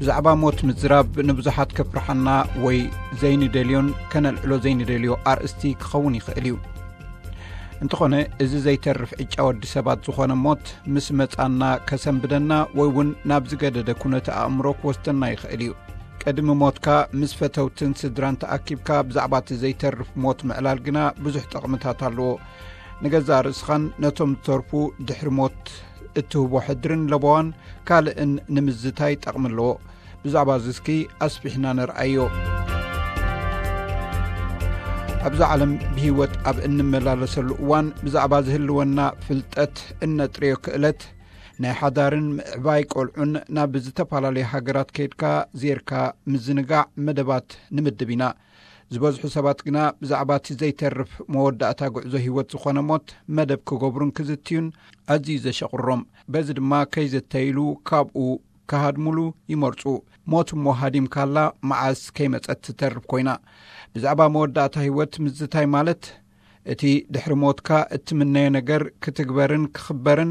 ብዛዕባ ሞት ምዝራብ ንብዙሓት ከፍርሓና ወይ ዘይንደልዮን ከነልዕሎ ዘይንደልዮ ኣርእስቲ ክኸውን ይኽእል እዩ። እንተኾነ፣ እዚ ዘይተርፍ ዕጫ ወዲ ሰባት ዝኾነ ሞት ምስ መጻና ከሰንብደና ወይ እውን ናብ ዝገደደ ኩነተ ኣእምሮ ክወስደና ይኽእል እዩ። ቅድሚ ሞትካ ምስ ፈተውትን ስድራን ተኣኪብካ ብዛዕባ እቲ ዘይተርፍ ሞት ምዕላል ግና ብዙሕ ጠቕምታት ኣለዎ። ንገዛእ ርእስኻን ነቶም ዝተርፉ ድሕሪ ሞት እትህቦ ሕድርን ለበዋን ካልእን ንምዝታይ ጠቕሚ ኣለዎ። ብዛዕባ እዚ እስኪ ኣስፊሕና ነርኣዮ። ኣብዛ ዓለም ብህይወት ኣብ እንመላለሰሉ እዋን ብዛዕባ ዝህልወና ፍልጠት፣ እነጥርዮ ክእለት፣ ናይ ሓዳርን ምዕባይ ቆልዑን ናብ ዝተፈላለዩ ሃገራት ከይድካ ዜርካ ምዝንጋዕ መደባት ንምድብ ኢና። ዝበዝሑ ሰባት ግና ብዛዕባ እቲ ዘይተርፍ መወዳእታ ጉዕዞ ህይወት ዝኾነ ሞት መደብ ክገብሩን ክዝትዩን ኣዝዩ ዘሸቕሮም። በዚ ድማ ከይዘተይሉ ካብኡ ክሃድሙሉ ይመርጹ። ሞት እሞ ሃዲምካላ መዓስ ከይመጸት ትተርፍ ኮይና። ብዛዕባ መወዳእታ ህይወት ምዝታይ ማለት፣ እቲ ድሕሪ ሞትካ እትምነዮ ነገር ክትግበርን ክኽበርን፣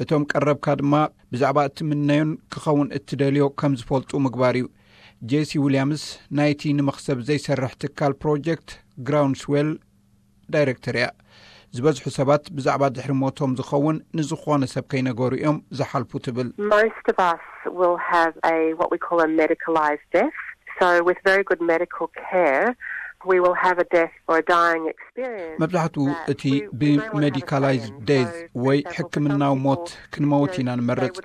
እቶም ቀረብካ ድማ ብዛዕባ እትምነዮን ክኸውን እትደልዮ ከም ዝፈልጡ ምግባር እዩ። ጄሲ ዊልያምስ ናይቲ ንመኽሰብ ዘይሰርሕ ትካል ፕሮጀክት ግራውንድስዌል ዳይሬክተር እያ። ዝበዝሑ ሰባት ብዛዕባ ድሕሪ ሞቶም ዝኸውን ንዝኾነ ሰብ ከይነገሩ እዮም ዝሓልፉ ትብል። Most of us will have a what we call a medicalised death. So with very good medical care, we will have a death or a dying experience. መብዛሕትኡ እቲ ብሜዲካላይዝድ ዴዝ ወይ ሕክምናዊ ሞት ክንመውት ኢና ንመርጽ።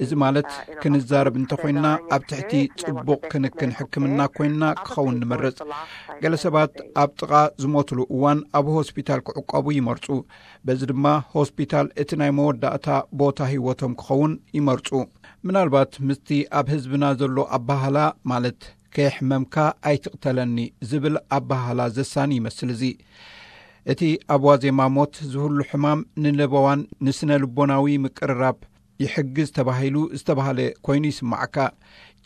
እዚ ማለት፣ ክንዛረብ እንተኾይንና ኣብ ትሕቲ ጽቡቕ ክንክን ሕክምና ኮይንና ክኸውን ንመርጽ። ገለ ሰባት ኣብ ጥቓ ዝሞትሉ እዋን ኣብ ሆስፒታል ክዕቆቡ ይመርጹ። በዚ ድማ ሆስፒታል እቲ ናይ መወዳእታ ቦታ ህይወቶም ክኸውን ይመርጹ። ምናልባት ምስቲ ኣብ ህዝብና ዘሎ ኣባህላ፣ ማለት ከየሕመምካ ኣይትቕተለኒ ዝብል ኣባህላ ዘሳኒ ይመስል እዚ። እቲ ኣብ ዋዜማ ሞት ዝህሉ ሕማም ንለበዋን ንስነ ልቦናዊ ምቅርራብ ይሕግዝ ተባሂሉ ዝተባህለ ኮይኑ ይስማዓካ።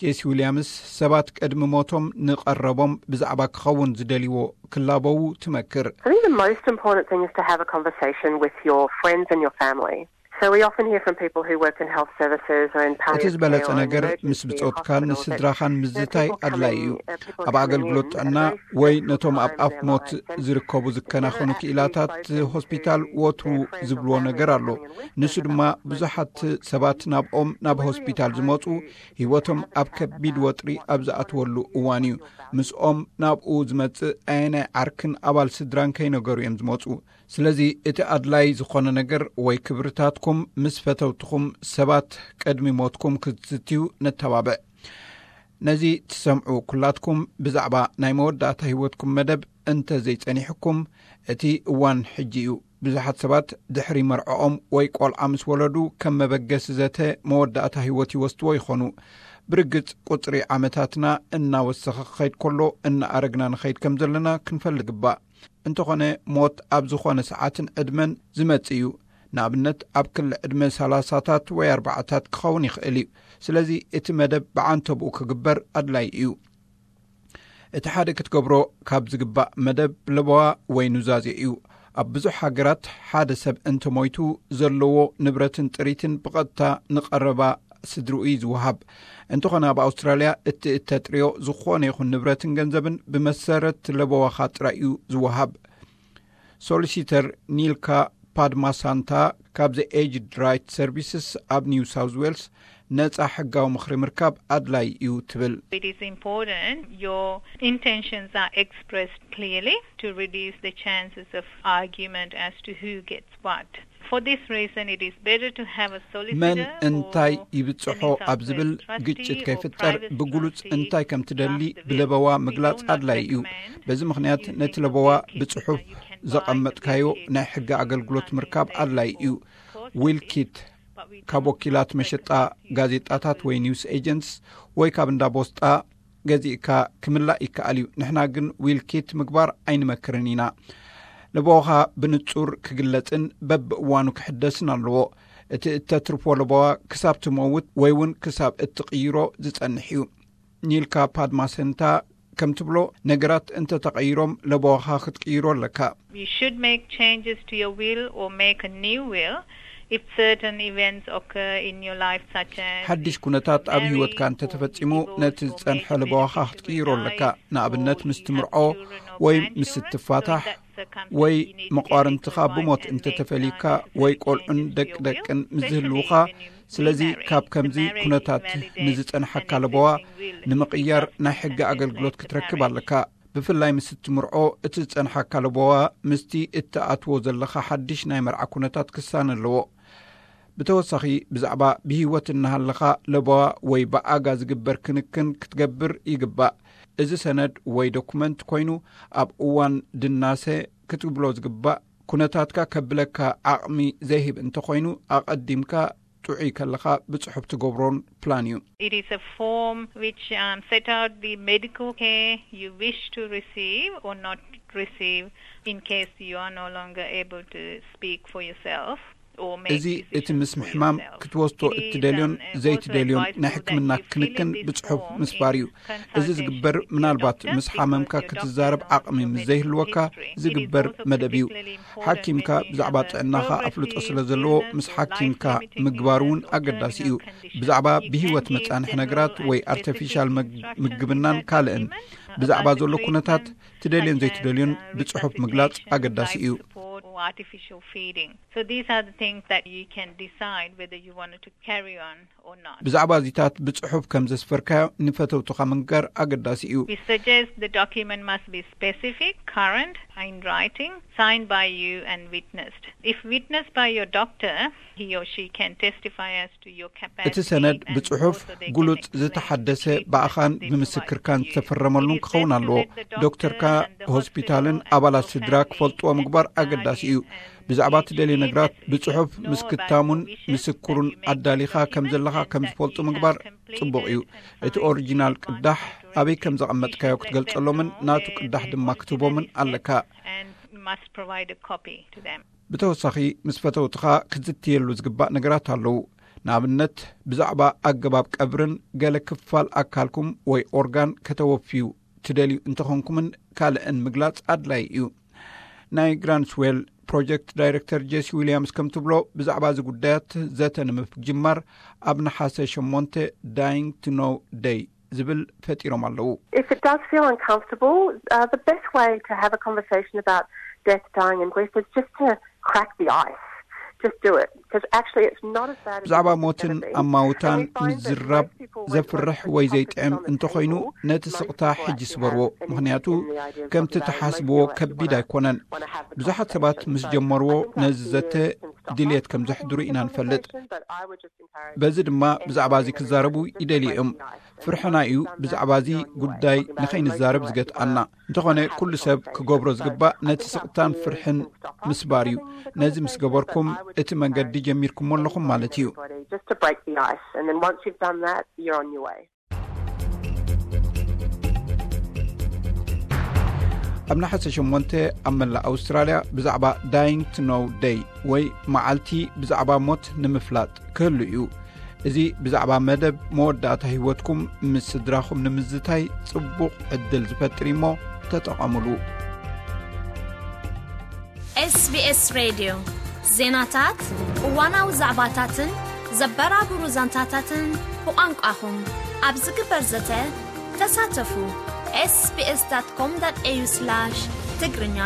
ጄሲ ዊልያምስ ሰባት ቅድሚ ሞቶም ንቐረቦም ብዛዕባ ክኸውን ዝደልይዎ ክላበዉ ትመክር። I think the most important thing is to have a conversation with your friends and your family. So we often hear from people who work in health services or in እቲ ዝበለጸ ነገር ምስ ብጾትካን ንስድራኻን ምዝታይ ኣድላይ እዩ። ኣብ ኣገልግሎት ጥዕና ወይ ነቶም ኣብ ኣፍ ሞት ዝርከቡ ዝከናኸኑ ክኢላታት ሆስፒታል ወትሩ ዝብልዎ ነገር ኣሎ። ንሱ ድማ ብዙሓት ሰባት ናብኦም ናብ ሆስፒታል ዝመጹ ህይወቶም ኣብ ከቢድ ወጥሪ ኣብ ዝኣትወሉ እዋን እዩ። ምስኦም ናብኡ ዝመጽእ ኣየናይ ዓርክን ኣባል ስድራን ከይነገሩ እዮም ዝመጹ። ስለዚ እቲ ኣድላይ ዝኾነ ነገር ወይ ክብርታትኩም ምስ ፈተውትኹም ሰባት ቅድሚ ሞትኩም ክትዝትዩ ነተባብዕ። ነዚ ትሰምዑ ኩላትኩም ብዛዕባ ናይ መወዳእታ ህይወትኩም መደብ እንተ ዘይጸኒሕኩም፣ እቲ እዋን ሕጂ እዩ። ብዙሓት ሰባት ድሕሪ መርዕኦም ወይ ቆልዓ ምስ ወለዱ ከም መበገሲ ዘተ መወዳእታ ህይወት ይወስድዎ ይኾኑ። ብርግጽ ቁጽሪ ዓመታትና እናወሰኸ ክኸይድ ከሎ እናኣረግና ንኸይድ ከም ዘለና ክንፈልግ ግባእ። እንተኾነ ሞት ኣብ ዝኾነ ሰዓትን ዕድመን ዝመጽእ እዩ። ንኣብነት ኣብ ክሊ ዕድመ ሰላሳታት ወይ ኣርባዓታት ክኸውን ይኽእል እዩ። ስለዚ እቲ መደብ ብዓንተብኡ ክግበር ኣድላይ እዩ። እቲ ሓደ ክትገብሮ ካብ ዝግባእ መደብ ለበዋ ወይ ኑዛዜ እዩ። ኣብ ብዙሕ ሃገራት ሓደ ሰብ እንተሞይቱ ዘለዎ ንብረትን ጥሪትን ብቐጥታ ንቐረባ ስድርኡ እዩ ዝወሃብ። እንተኾነ ኣብ ኣውስትራልያ እቲ እተጥርዮ ዝኾነ ይኹን ንብረትን ገንዘብን ብመሰረት ለበዋኻ ጥራይ እዩ ዝወሃብ። ሶሊሲተር ኒልካ ፓድማሳንታ ካብ The Aged Right Services ኣብ ኒው ሳውዝ ዌልስ ነጻ ሕጋዊ ምኽሪ ምርካብ ኣድላይ እዩ ትብል። It is important your intentions are expressed clearly to reduce the chances of argument as to who gets what. For this reason, it is better to have a solicitor መን እንታይ ይብጽሖ ኣብ ዝብል ግጭት ከይፍጠር ብግሉጽ እንታይ ከም ትደሊ ብለበዋ ምግላጽ ኣድላይ እዩ። በዚ ምኽንያት ነቲ ለበዋ ብጽሑፍ ዘቐመጥካዮ ናይ ሕጊ ኣገልግሎት ምርካብ ኣድላይ እዩ። ዊል ኪት ካብ ወኪላት መሸጣ ጋዜጣታት ወይ ኒውስ ኤጀንትስ ወይ ካብ እንዳ ቦስጣ ገዚእካ ክምላእ ይከኣል እዩ። ንሕና ግን ዊል ኪት ምግባር ኣይንመክርን ኢና። ለበዋኻ ብንጹር ክግለጽን በብእዋኑ ክሕደስን ኣለዎ። እቲ እተትርፎ ለበዋ ክሳብ ትመውት ወይ እውን ክሳብ እትቕይሮ ዝጸንሕ እዩ። ኒልካ ፓድማሰንታ ከም ትብሎ፣ ነገራት እንተተቐይሮም ለበዋኻ ክትቅይሮ ኣለካ። You should make changes to your will or make a new will If certain events occur in your life, such as ሓድሽ ኩነታት ኣብ ህይወትካ እንተተፈጺሙ፣ ነቲ ዝጸንሐ ለበዋኻ ክትቅይሮ ኣለካ። ንኣብነት፣ ምስ ትምርዖ ወይ ምስ ትፋታሕ ወይ መቋርንትኻ ብሞት እንተተፈልዩካ ወይ ቆልዑን ደቂ ደቅን ምስ ዝህልውኻ። ስለዚ ካብ ከምዚ ኩነታት ንዝጸንሓካ ለበዋ ንምቕያር ናይ ሕጊ ኣገልግሎት ክትረክብ ኣለካ። ብፍላይ ምስ እትምርዖ፣ እቲ ዝጸንሓካ ለበዋ ምስቲ እትኣትዎ ዘለኻ ሓድሽ ናይ መርዓ ኩነታት ክሳነ ኣለዎ። ብተወሳኺ፣ ብዛዕባ ብህይወት እናሃለኻ ለበዋ ወይ ብኣጋ ዝግበር ክንክን ክትገብር ይግባእ። እዚ ሰነድ ወይ ዶኩመንት ኮይኑ፣ ኣብ እዋን ድናሰ ክትብሎ ዝግባእ ኩነታትካ ከብለካ ዓቕሚ ዘይህብ እንተኾይኑ፣ ኣቐዲምካ ጥዑይ ከለኻ ብጽሑፍ ትገብሮን ፕላን እዩ። It is a form which, um, set out the medical care you wish to receive or not receive in case you are no longer able to speak for yourself or make እዚ እቲ decisions ምስ for ምሕማም yourself. ክትወስዶ It is, እትደልዮን um, uh, ዘይትደልዮን also ናይ advisable ሕክምና that you fill ክንክን in this ብጽሑፍ form ምስፋር እዩ። In እዚ ዝግበር consultation ምናልባት with your ምስ doctor, ሓመምካ because ክትዛረብ doctor ዓቕሚ will ምስ make ዘይህልወካ history. It is ዝግበር also መደብ እዩ። particularly important ሓኪምካ when you ብዛዕባ have a ጥዕናኻ over ኣፍልጦ sixty ስለ ዘለዎ illness ምስ or ሓኪምካ life-limiting ምግባር እውን illness or ኣገዳሲ እዩ። terminal ብዛዕባ condition. ብህይወት It can give መጻንሒ general ነገራት ወይ and ኣርቲፊሻል specific መግ- instructions ምግብናን that ካልእን። Document ብዛዕባ ዘሎ ኩነታት ትደልዮን ዘይትደልዮን ብጽሑፍ ምግላጽ ኣገዳሲ እዩ። So these are the things that you can decide whether you wanted to carry on or not. ብዛዕባ እዚታት ብጽሑፍ ከም ዘስፈርካዮ ንፈተውትኻ ምንጋር ኣገዳሲ እዩ። We suggest the document must be specific, current, in writing, signed by you and witnessed. If witnessed by your doctor, he or she can testify as እቲ ሰነድ ብጽሑፍ ግሉጽ ዝተሓደሰ ብኣኻን ብምስክርካን ዝተፈረመሉን ክኸውን ኣለዎ። ዶክተርካ፣ ሆስፒታልን ኣባላት ስድራ ክፈልጥዎ ምግባር ኣገዳሲ እዩ። ብዛዕባ እትደልዮ ነገራት ብጽሑፍ ምስ ክታሙን ምስክሩን ኣዳሊኻ ከም ዘለኻ ከም ዝፈልጡ ምግባር ጽቡቕ እዩ። እቲ ኦሪጂናል ቅዳሕ ኣበይ ከም ዘቐመጥካዮ ክትገልጸሎምን ናቱ ቅዳሕ ድማ ክትህቦምን ኣለካ። ብተወሳኺ፣ ምስ ፈተውትኻ ክትዝትየሉ ዝግባእ ነገራት ኣለዉ። ንኣብነት፣ ብዛዕባ ኣገባብ ቀብርን ገለ ክፋል ኣካልኩም ወይ ኦርጋን ከተወፍዩ ትደልዩ እንተኾንኩምን ካልእን ምግላጽ ኣድላይ እዩ። ናይ ግራንስዌል ፕሮጀክት ዳይረክተር ጄሲ ዊልያምስ ከም ትብሎ፣ ብዛዕባ እዚ ጉዳያት ዘተ ንምጅማር ኣብ ነሓሰ ሸሞንተ ዳይንግ ቱ ኖው ደይ ዝብል ፈጢሮም ኣለዉ። If it does feel uncomfortable, uh, the best way to have a conversation about death, dying and grief is just to crack the ice. Just do it. Because actually it's not as bad as you think it's gonna be. ብዛዕባ ሞትን ኣማውታን ምዝራብ ዘፍርሕ ወይ ዘይጥዕም እንተኾይኑ፣ ነቲ ስቕታ ሕጂ ስበርዎ። ምኽንያቱ ከምቲ ትሓስብዎ ከቢድ ኣይኮነን። ብዙሓት ሰባት ምስ ጀመርዎ ነዚ ዘተ ድልየት ከም ዘሕድሩ ኢና ንፈልጥ። በዚ ድማ ብዛዕባ እዚ ክዛረቡ ይደልዩ እዮም። ፍርሕና እዩ ብዛዕባ እዚ ጉዳይ ንኸይንዛረብ ዝገትኣና። እንተኾነ፣ ኩሉ ሰብ ክገብሮ ዝግባእ ነቲ ስቕታን ፍርሕን ምስባር እዩ። ነዚ ምስ ገበርኩም፣ እቲ መንገዲ ጀሚርኩሞ ኣለኹም ማለት እዩ። Just to break the ice, and then once you've done that, you're on your way. ኣብ ነሓሰ ሸሞንተ ኣብ መላእ ኣውስትራልያ ብዛዕባ ዳይንግ ቱ ኖው ደይ ወይ መዓልቲ ብዛዕባ ሞት ንምፍላጥ ክህሉ እዩ። እዚ ብዛዕባ መደብ መወዳእታ ህይወትኩም ምስ ስድራኹም ንምዝታይ ጽቡቕ ዕድል ዝፈጥር እዩሞ ተጠቐሙሉ። ኤስቢኤስ ሬድዮ ዜናታት፣ እዋናዊ ዛዕባታትን ዘበራብሩ ዛንታታትን ብቋንቋኹም ኣብ ዝግበር ዘተ ተሳተፉ። ኤስቢኤስ ዳት ኮም ዳት ኤዩ ስላሽ ትግርኛ።